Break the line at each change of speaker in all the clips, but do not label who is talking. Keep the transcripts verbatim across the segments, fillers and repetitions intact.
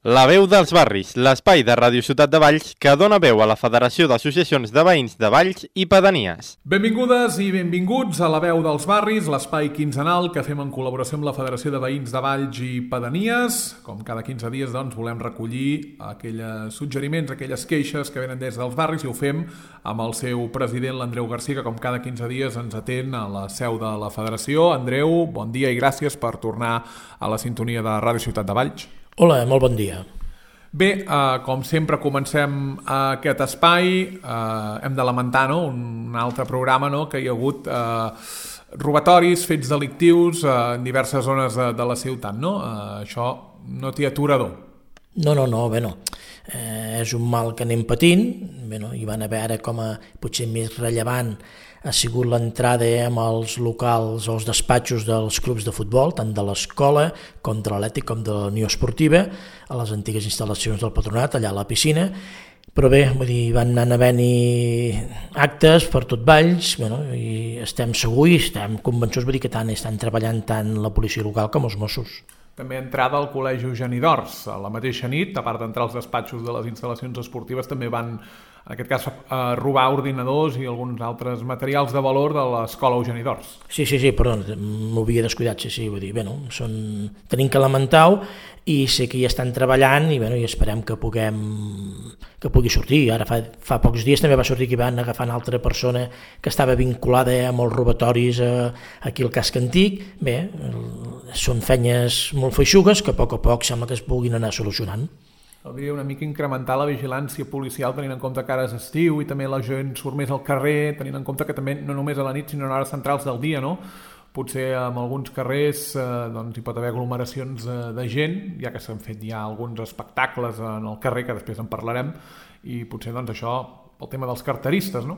La veu dels barris, l'espai de Ràdio Ciutat de Valls que dona veu a la Federació d'Associacions de Veïns de Valls i Pedanies.
Benvingudes i benvinguts a La veu dels barris, l'espai quinzenal que fem en col·laboració amb la Federació de Veïns de Valls i Pedanies. Com cada quinze dies, doncs, volem recollir aquells suggeriments, aquelles queixes que venen des dels barris i ho fem amb el seu president, l'Andreu Garcia, que com cada quinze dies ens atén a la seu de la Federació. Andreu, bon dia i gràcies per tornar a la sintonia de Ràdio Ciutat de Valls.
Hola, molt bon dia.
Bé, eh, com sempre comencem aquest espai, eh, hem de lamentar, no?, un altre programa, no?, que hi ha hagut eh, robatoris, fets delictius eh, en diverses zones de, de la ciutat, no? Eh, això no té aturador.
No, no, no, bé, no. Eh, és un mal que anem patint, bé, no? Hi van haver ara com a potser més rellevant ha sigut l'entrada amb els locals o els despatxos dels clubs de futbol, tant de l'escola com de l'Atlètic com de la Unió Esportiva, a les antigues instal·lacions del Patronat, allà a la piscina. Però bé, vull dir, van anar havent-hi actes per tot Valls, bueno, i estem segurs i estem convençuts, vull dir, que tant estan treballant tant la policia local com els Mossos.
També entrada al Col·legi Eugeni d'Ors. A la mateixa nit, a part d'entrar als despatxos de les instal·lacions esportives, també van, en aquest cas, a robar ordinadors i alguns altres materials de valor de l'Escola Eugeni d'Ors.
Sí, sí, sí, perdó, m'havia descuidat, sí, sí, vull dir, bé, no, són... tenim que lamentar-ho i sé que hi estan treballant i, bé, no, i esperem que puguem que pugui sortir. Ara fa, fa pocs dies també va sortir que van agafar una altra persona que estava vinculada amb els robatoris a, aquí al casc antic. Bé, són feines molt feixugues que a poc a poc sembla que es puguin anar solucionant.
Hauria una mica incrementar la vigilància policial tenint en compte que ara és estiu i també la gent surt més al carrer, tenint en compte que també no només a la nit sinó en hores centrals del dia, no? Potser en alguns carrers eh, doncs, hi pot haver aglomeracions eh, de gent, ja que s'han fet ja alguns espectacles en el carrer, que després en parlarem, i potser doncs, això pel tema dels carteristes, no?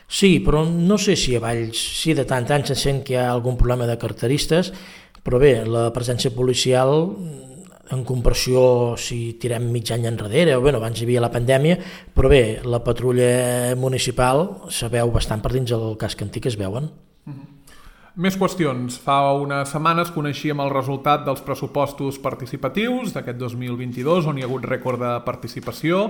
Sí, però no sé si a Valls, si de tant en tant se sent que hi ha algun problema de carteristes, però bé, la presència policial, en comparació si tirem mig any enrere, o bé, abans hi havia la pandèmia, però bé, la patrulla municipal se veu bastant per dins del casc antic, es veuen.
Mm-hmm. Més qüestions. Fa unes setmanes coneixíem el resultat dels pressupostos participatius d'aquest dos mil vint-i-dos, on hi ha hagut rècord de participació,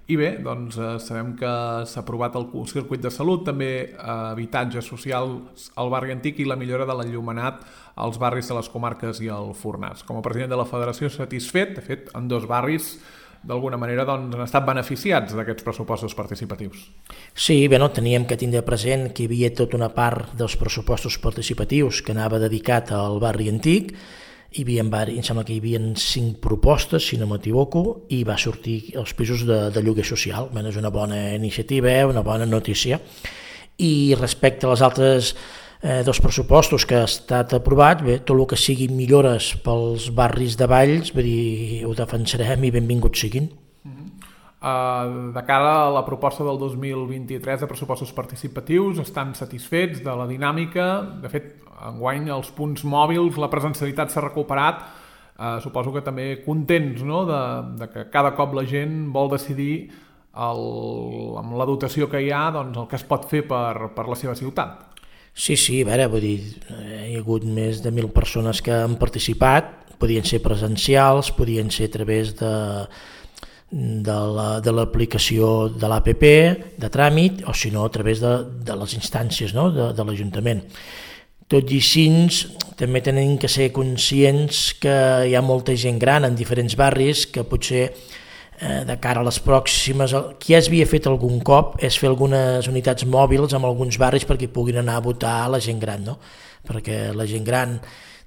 i bé, doncs eh, sabem que s'ha aprovat el circuit de salut, també eh, habitatge social al barri antic i la millora de l'enllumenat als barris de les comarques i el Fornàs. Com a president de la Federació, satisfet, de fet, en dos barris d'alguna manera doncs, han estat beneficiats d'aquests pressupostos participatius.
Sí, bé, no, teníem que tindre present que hi havia tota una part dels pressupostos participatius que anava dedicat al barri antic. Hi havia, em sembla que hi havia cinc propostes, si no m'equivoco, i va sortir els pisos de, de lloguer social. Bé, és una bona iniciativa, una bona notícia. I respecte a les altres eh, dos pressupostos que ha estat aprovat, bé, tot el que siguin millores pels barris de Valls, vull dir, ho defensarem i benvinguts siguin.
Uh-huh. Uh, de cara a la proposta del dos mil vint-i-tres de pressupostos participatius, estan satisfets de la dinàmica. De fet, enguany els punts mòbils, la presencialitat s'ha recuperat. Uh, suposo que també contents, no?, de, de que cada cop la gent vol decidir el, amb la dotació que hi ha, doncs, el que es pot fer per, per la seva ciutat.
Sí, sí, a veure, vull dir, hi ha hagut més de mil persones que han participat, podien ser presencials, podien ser a través de, de, la, de l'aplicació de l'A P P, de tràmit, o si no, a través de, de les instàncies, no?, de, de l'Ajuntament. Tot i així, també tenim que ser conscients que hi ha molta gent gran en diferents barris que potser de cara a les pròximes, qui ja havia fet algun cop és fer algunes unitats mòbils en alguns barris perquè puguin anar a votar a la gent gran, no? Perquè la gent gran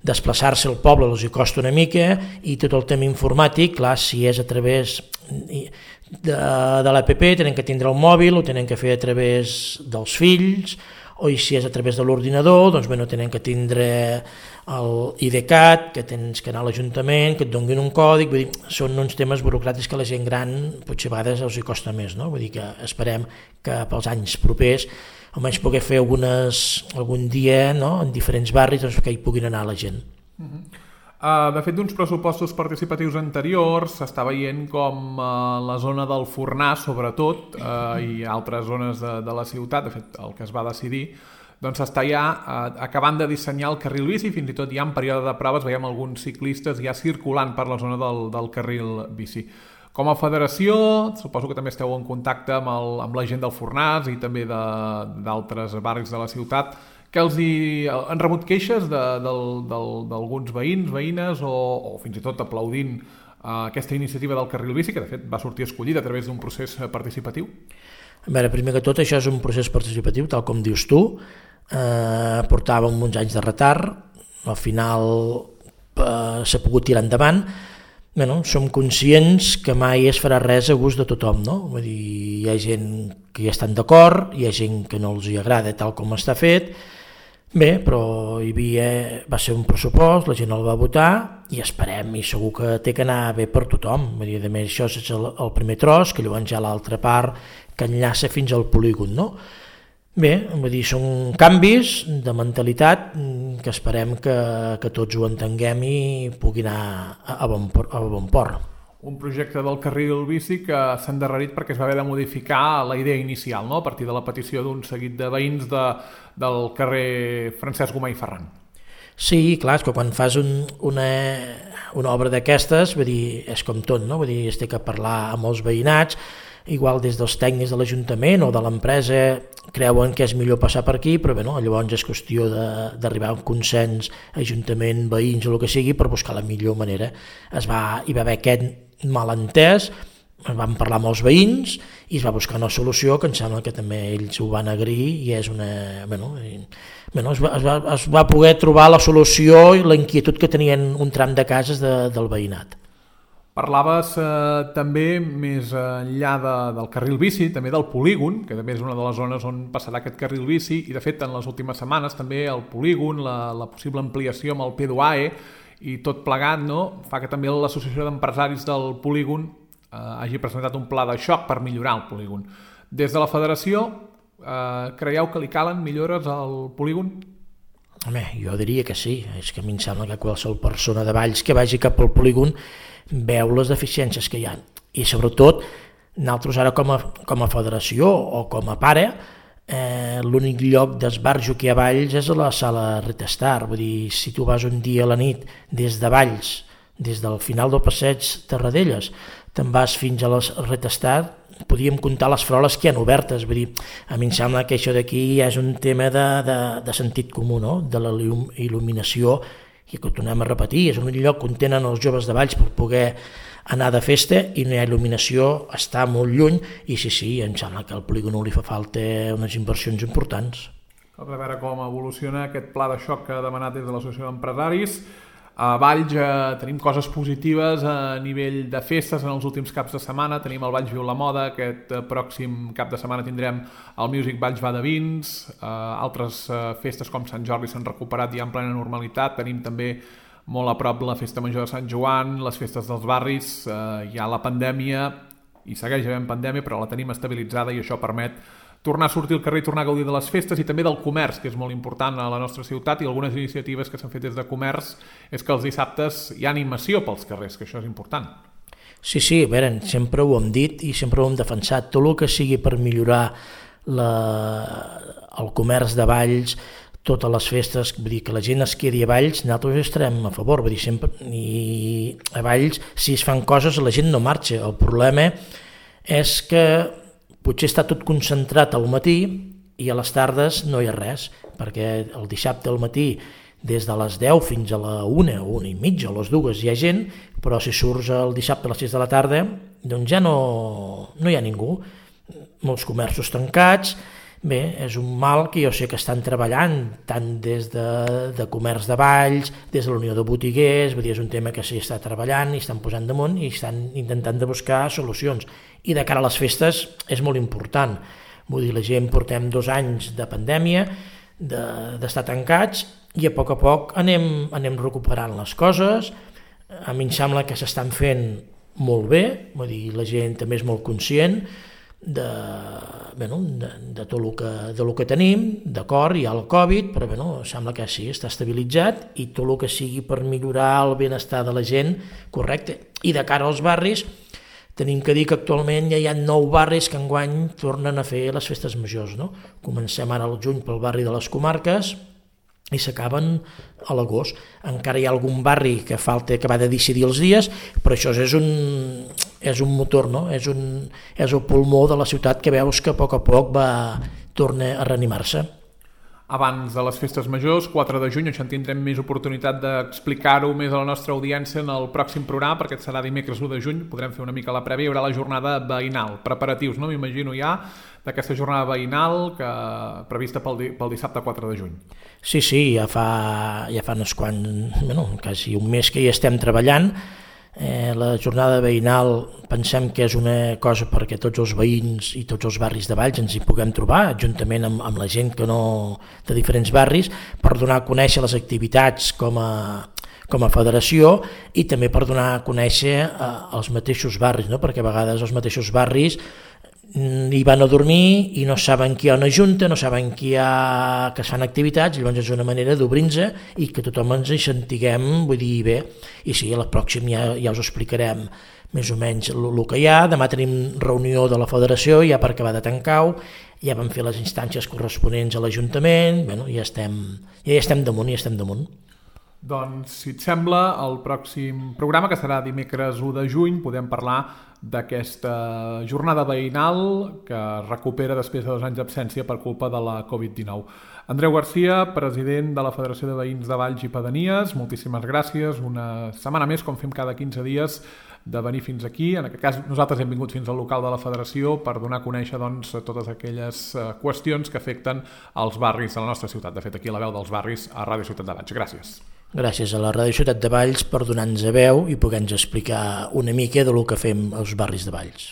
desplaçar-se al poble els hi costa una mica i tot el tema informàtic, clar, si és a través de, de l'A P P tenen que tindre el mòbil, ho tenen que fer a través dels fills, o si és a través de l'ordinador, doncs bé, no tenen que tindre el I D C A T, que tens que anar a l'Ajuntament, que et donguin un còdic, vull dir, són uns temes burocràtics que la gent gran potser a vegades els hi costa més, no? Vull dir que esperem que pels anys propers almenys poder fer algunes, algun dia, no?, en diferents barris, doncs, que hi puguin anar la gent.
Uh-huh. Uh, de fet, d'uns pressupostos participatius anteriors s'està veient com uh, la zona del Fornàs, sobretot, uh, i altres zones de, de la ciutat, de fet, el que es va decidir, doncs s'està ja eh, acabant de dissenyar el carril bici, fins i tot ja en període de proves veiem alguns ciclistes ja circulant per la zona del, del carril bici. Com a federació, suposo que també esteu en contacte amb, el, amb la gent del Fornàs i també d'altres barris de la ciutat, que els hi, han rebut queixes d'alguns veïns, veïnes o, o fins i tot aplaudint uh, aquesta iniciativa del carril bici, que de fet va sortir escollida a través d'un procés participatiu?
A veure, primer que tot, això és un procés participatiu, tal com dius tu. Eh, portàvem uns anys de retard, al final eh, s'ha pogut tirar endavant. Bueno, som conscients que mai es farà res a gust de tothom, no? Vull dir, hi ha gent que hi estan d'acord, hi ha gent que no els hi agrada tal com està fet. Bé, però hi havia, va ser un pressupost, la gent el va votar i esperem, i segur que té que anar bé per tothom. Vull dir, a més, això és el, el primer tros, que llavors hi ha l'altra part que enllaça fins al polígon, no? Bé, vull dir, són canvis de mentalitat que esperem que, que tots ho entenguem i pugui anar a, a, bon, a bon port.
Un projecte del carril bici que s'ha endarrerit perquè es va haver de modificar la idea inicial, no? A partir de la petició d'un seguit de veïns de, del carrer Francesc Gomà i Ferran.
Sí, clar, és que quan fas un, una, una obra d'aquestes, vull dir, és com tot, no? Vull dir, es té que parlar amb els veïnats, igual des dels tècnics de l'Ajuntament o de l'empresa creuen que és millor passar per aquí, però bé, no? Llavors és qüestió d'arribar a un consens, Ajuntament, veïns o el que sigui, per buscar la millor manera. Es va, hi va haver aquest malentès, vam parlar amb els veïns i es va buscar una solució que em sembla que també ells ho van agrair i és una... Bueno, i, bueno, es, va, es, va, es va poder trobar la solució i la inquietud que tenien un tram de cases de, del veïnat.
Parlaves eh, també més enllà de, del carril bici, també del polígon, que també és una de les zones on passarà aquest carril bici, i de fet en les últimes setmanes també el polígon, la, la possible ampliació amb el P dos A E i tot plegat, no? Fa que també l'Associació d'Empresaris del Polígon eh, hagi presentat un pla de xoc per millorar el polígon. Des de la federació, eh, creieu que li calen millores al polígon?
Home, jo diria que sí, és que a mi em sembla que qualsevol persona de Valls que vagi cap al polígon veu les deficiències que hi ha. I sobretot, nosaltres ara com a, com a federació o com a pare, eh, l'únic lloc d'esbarjo que hi ha a Valls és a la sala Retestar. Vull dir, si tu vas un dia a la nit des de Valls, des del final del passeig Terradelles, te'n vas fins a la Retestar, podíem comptar les faroles que hi ha obertes. Vull dir, a mi em sembla que això d'aquí és un tema de, de, de sentit comú, no? De la il·luminació, i que ho tornem a repetir, és un lloc on tenen els joves de Valls per poder anar de festa i no hi ha il·luminació, està molt lluny i sí, sí, em sembla que al polígon li fa falta unes inversions importants.
A veure com evoluciona aquest pla de xoc que ha demanat des de l'Associació d'Empresaris. A Valls eh, tenim coses positives a nivell de festes en els últims caps de setmana. Tenim el Valls Viu la Moda, aquest eh, pròxim cap de setmana tindrem el Music Valls Va de Vins, eh, altres eh, festes com Sant Jordi s'han recuperat ja en plena normalitat. Tenim també molt a prop la Festa Major de Sant Joan, les festes dels barris, eh, hi ha la pandèmia, i segueix havent pandèmia, però la tenim estabilitzada i això permet tornar a sortir al carrer i tornar a gaudir de les festes i també del comerç, que és molt important a la nostra ciutat, i algunes iniciatives que s'han fet des de comerç és que els dissabtes hi ha animació pels carrers, que això és important.
Sí, sí, a veure, sempre ho hem dit i sempre ho hem defensat. Tot el que sigui per millorar la, el comerç de Valls, totes les festes, vull dir, que la gent es quedi a Valls, nosaltres estarem a favor, vull dir, sempre, i a Valls, si es fan coses, la gent no marxa. El problema és que potser està tot concentrat al matí i a les tardes no hi ha res, perquè el dissabte al matí des de les deu fins a la una, o una i mitja, o les dues hi ha gent, però si surts el dissabte a les sis de la tarda, doncs ja no, no hi ha ningú. Molts comerços tancats. Bé, és un mal que jo sé que estan treballant tant des de, de Comerç de Valls, des de la Unió de Botiguers, vull dir, és un tema que s'hi està treballant i estan posant damunt i estan intentant de buscar solucions. I de cara a les festes és molt important. Vull dir, la gent portem dos anys de pandèmia, d'estar de, tancats, i a poc a poc anem, anem recuperant les coses. A mi em sembla que s'estan fent molt bé, vull dir, la gent també és molt conscient de, bueno, de, de tot el que, de lo que tenim, d'acord, hi ha el Covid, però bueno, sembla que sí, està estabilitzat, i tot el que sigui per millorar el benestar de la gent, correcte. I de cara als barris, tenim que dir que actualment ja hi ha nou barris que enguany tornen a fer les festes majors, no? Comencem ara al juny pel barri de les Comarques i s'acaben a l'agost. Encara hi ha algun barri que falta acabar de decidir els dies, però això és un, és un motor, no? És, un, és el pulmó de la ciutat que veus que a poc a poc va tornar a reanimar-se.
Abans de les festes majors, quatre de juny, això en tindrem més oportunitat d'explicar-ho més a la nostra audiència en el pròxim programa, perquè serà dimecres u de juny, podrem fer una mica la prèvia, hi haurà la jornada veïnal, preparatius, no? M'imagino ja, d'aquesta jornada veïnal que prevista pel, pel dissabte quatre de juny.
Sí, sí, ja fa, ja fa uns quants, bueno, quasi un mes que hi estem treballant. Eh, la jornada veïnal pensem que és una cosa perquè tots els veïns i tots els barris de Valls ens hi puguem trobar, juntament amb, amb la gent que no, de diferents barris, per donar a conèixer les activitats com a, com a federació i també per donar a conèixer eh, els mateixos barris, no? Perquè a vegades els mateixos barris hi van a dormir i no saben que hi ha una junta, no saben que hi ha, que es fan activitats, llavors és una manera d'obrir-nos i que tothom ens hi sentiguem, vull dir, bé. I sí, a la pròxima ja, ja us explicarem més o menys el que hi ha. Demà tenim reunió de la federació, ja per acabar de tancar-ho, ja vam fer les instàncies corresponents a l'Ajuntament, bueno, ja estem, ja hi estem damunt, ja estem damunt.
Doncs, si et sembla, el pròxim programa, que serà dimecres u de juny, podem parlar d'aquesta jornada veïnal que recupera després de dos anys d'absència per culpa de la covid dinou. Andreu Garcia, president de la Federació de Veïns de Valls i Pedanies, moltíssimes gràcies. Una setmana més, com fem cada quinze dies, de venir fins aquí. En aquest cas, nosaltres hem vingut fins al local de la Federació per donar a conèixer doncs, totes aquelles qüestions que afecten els barris de la nostra ciutat. De fet, aquí la veu dels barris a Ràdio Ciutat de Valls. Gràcies.
Gràcies a la Ràdio Ciutat de Valls per donar-nos veu i poder-nos explicar una mica del que fem als barris de Valls.